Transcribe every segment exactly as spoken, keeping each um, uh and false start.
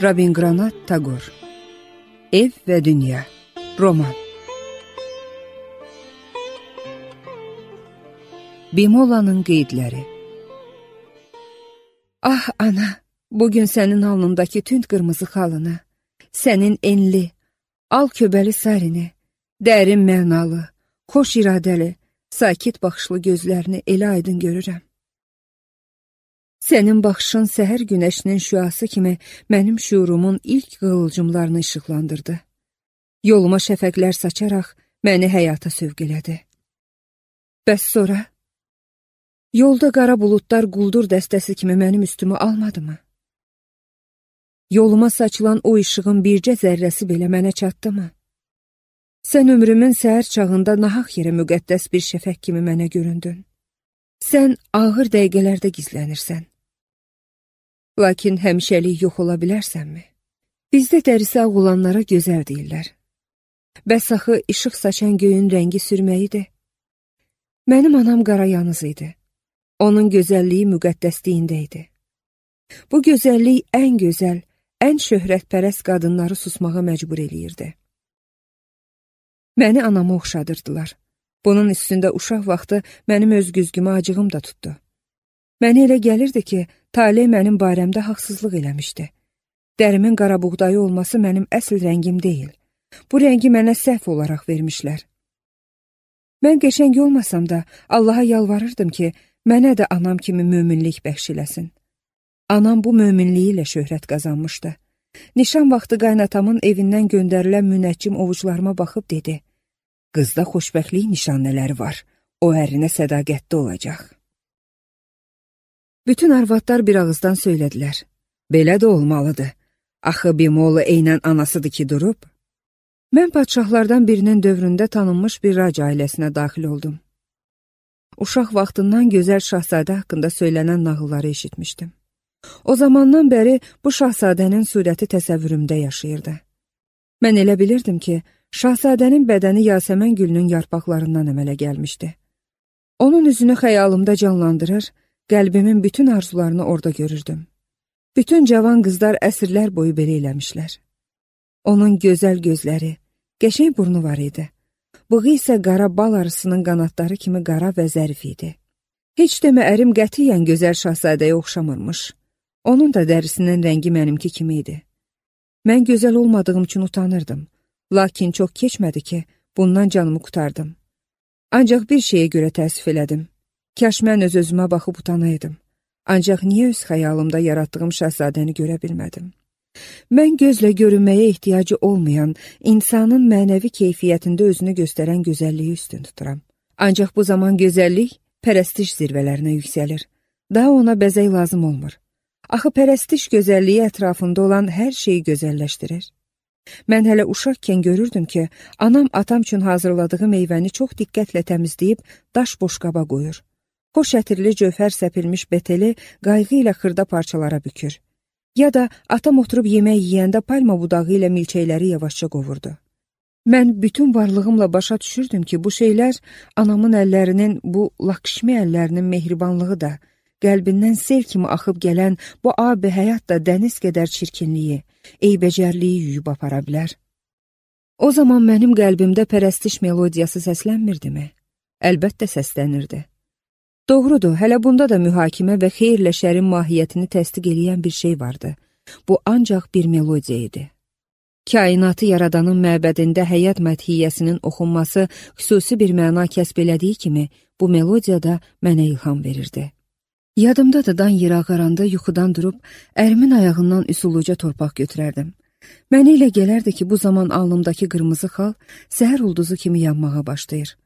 Rabindranath Tagore. Ev və Dünya. Roman. Bimolanın qeydləri. Ah ana, bugün sənin alnındakı tünd qırmızı xalını, sənin enli, al köbəli sarini, dərin mənalı, xoş iradəli, sakit baxışlı gözlərini elə aydın görürəm. Sənin baxışın səhər günəşinin şüası kimi mənim şuurumun ilk qığılcımlarını işıqlandırdı. Yoluma şəfəqlər saçaraq məni həyata sövq elədi. Bəs sonra? Yolda qara buludlar quldur dəstəsi kimi mənim üstümü almadı mı? Yoluma saçılan o işığın bircə zərrəsi belə mənə çatdı mı? Sən ömrümün səhər çağında nahaq yerə müqəddəs bir şəfəq kimi mənə göründün. Sən ağır dəqiqələrdə gizlənirsən. Lakin həmişəlik yox ola bilərsənmi? Bizdə dərisi ağ olanlara gözəl deyirlər. Bəs axı işıq saçan göyün rəngi sürməyidir. Mənim anam qarayanız idi. Onun gözəlliyi müqəddəsliyində idi. Bu gözəllik ən gözəl, ən şöhrətpərəst qadınları susmağa məcbur eləyirdi. Məni anama oxşadırdılar. Bunun üstündə uşaq vaxtı mənim öz güzgümə acığım da tutdu. Mənə elə gəlirdi ki, talih mənim barəmdə haqsızlıq eləmişdi. Dərimin qara buğdayı olması mənim əsl rəngim deyil. Bu rəngi mənə səhv olaraq vermişlər. Mən qəşəng olmasam da Allaha yalvarırdım ki, mənə də anam kimi möminlik bəxş eləsin. Anam bu möminliyi ilə şöhrət qazanmışdı. Nişan vaxtı qaynatamın evindən göndərilən münəccim ovucularıma baxıb dedi: "Qızda xoşbəxtlik nişanələri var, o ərinə sədaqətli olacaq." Bütün arvadlar bir ağızdan söylədilər: "Belə də olmalıdır. Axı Bimola eynən anasıdır ki durub." Mən padşahlardan birinin dövründə tanınmış bir rac ailəsinə daxil oldum. Uşaq vaxtından gözəl şahzadə haqqında söylənən nağılları eşitmişdim. O zamandan bəri bu şahzadənin surəti təsəvvürümdə yaşayırdı. Mən elə bilirdim ki, şahzadənin bədəni yasəmən gülünün yarpaqlarından əmələ gəlmişdi. Onun üzünü xəyalımda canlandırır, qəlbimin bütün arzularını orada görürdüm. Bütün cavan qızlar əsrlər boyu belə eləmişlər. Onun gözəl gözləri, qəşəng burnu var idi. Bığı isə qara bal arısının qanadları kimi qara və zərif idi. Heç demə ərim qətiyyən gözəl şahzadəyə oxşamırmış. Onun da dərisinin rəngi mənimki kimi idi. Mən gözəl olmadığım üçün utanırdım. Lakin çox keçmədi ki, bundan canımı qurtardım. Ancaq bir şeyə görə təəssüf elədim. Kaş mən öz-özümə baxıb utanaydım. Ancaq niyə öz xəyalımda yaratdığım şahzadəni görə bilmədim? Mən gözlə görünməyə ehtiyacı olmayan, insanın mənəvi keyfiyyətində özünü göstərən gözəlliyi üstün tuturam. Ancaq bu zaman gözəllik pərəstiş zirvələrinə yüksəlir. Daha ona bəzək lazım olmur. Axı pərəstiş gözəlliyi ətrafında olan hər şeyi gözəlləşdirir. Mən hələ uşaqkən görürdüm ki, anam atam üçün hazırladığı meyvəni çox diqqətlə təmizləyib daş boşqaba qoyur. Xoş ətirli cövhər səpilmiş beteli qayğı ilə xırda parçalara bükür. Ya da atam oturub yemək yeyəndə palma budağı ilə milçəkləri yavaşca qovurdu. Mən bütün varlığımla başa düşürdüm ki, bu şeylər anamın əllərinin, bu Lakşmi əllərinin mehribanlığı da, qəlbindən sel kimi axıb gələn bu abi həyat da dəniz qədər çirkinliyi, eybəcərliyi yuyub apara bilər. O zaman mənim qəlbimdə pərəstiş melodiyası səslənmirdimi? Əlbəttə səslənirdi. Doğrudur, hələ bunda da mühakimə və xeyirlə şərin mahiyyətini təsdiq eləyən bir şey vardı. Bu ancaq bir melodiya idi. Kainatı yaradanın məbədində həyat mədhiyyəsinin oxunması xüsusi bir məna kəsb elədiyi kimi, bu melodiya da mənə ilham verirdi. Yadımda da dan yer ağaranda yuxudan durub, ərimin ayağından üsuluca torpaq götürərdim. Mənə elə gələrdi ki, bu zaman alnımdakı qırmızı xal səhər ulduzu kimi yanmağa başlayır.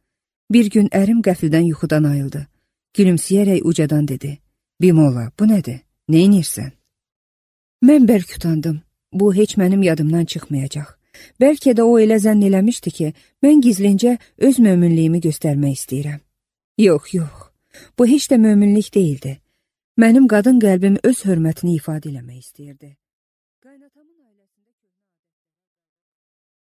Bir gün ərim qəfildən yuxudan ayıldı. Gülümsəyərək ucadan dedi: "Bimola, bu nədir? Neynirsən?" Mən bərk utandım. Bu heç mənim yadımdan çıxmayacaq. Bəlkə də o elə zənn eləmişdi ki, mən gizlincə öz möminliyimi göstərmək istəyirəm. Yox, yox. Bu heç də möminlik deyildi. Mənim qadın qəlbim öz hörmətini ifadə eləmək istəyirdi.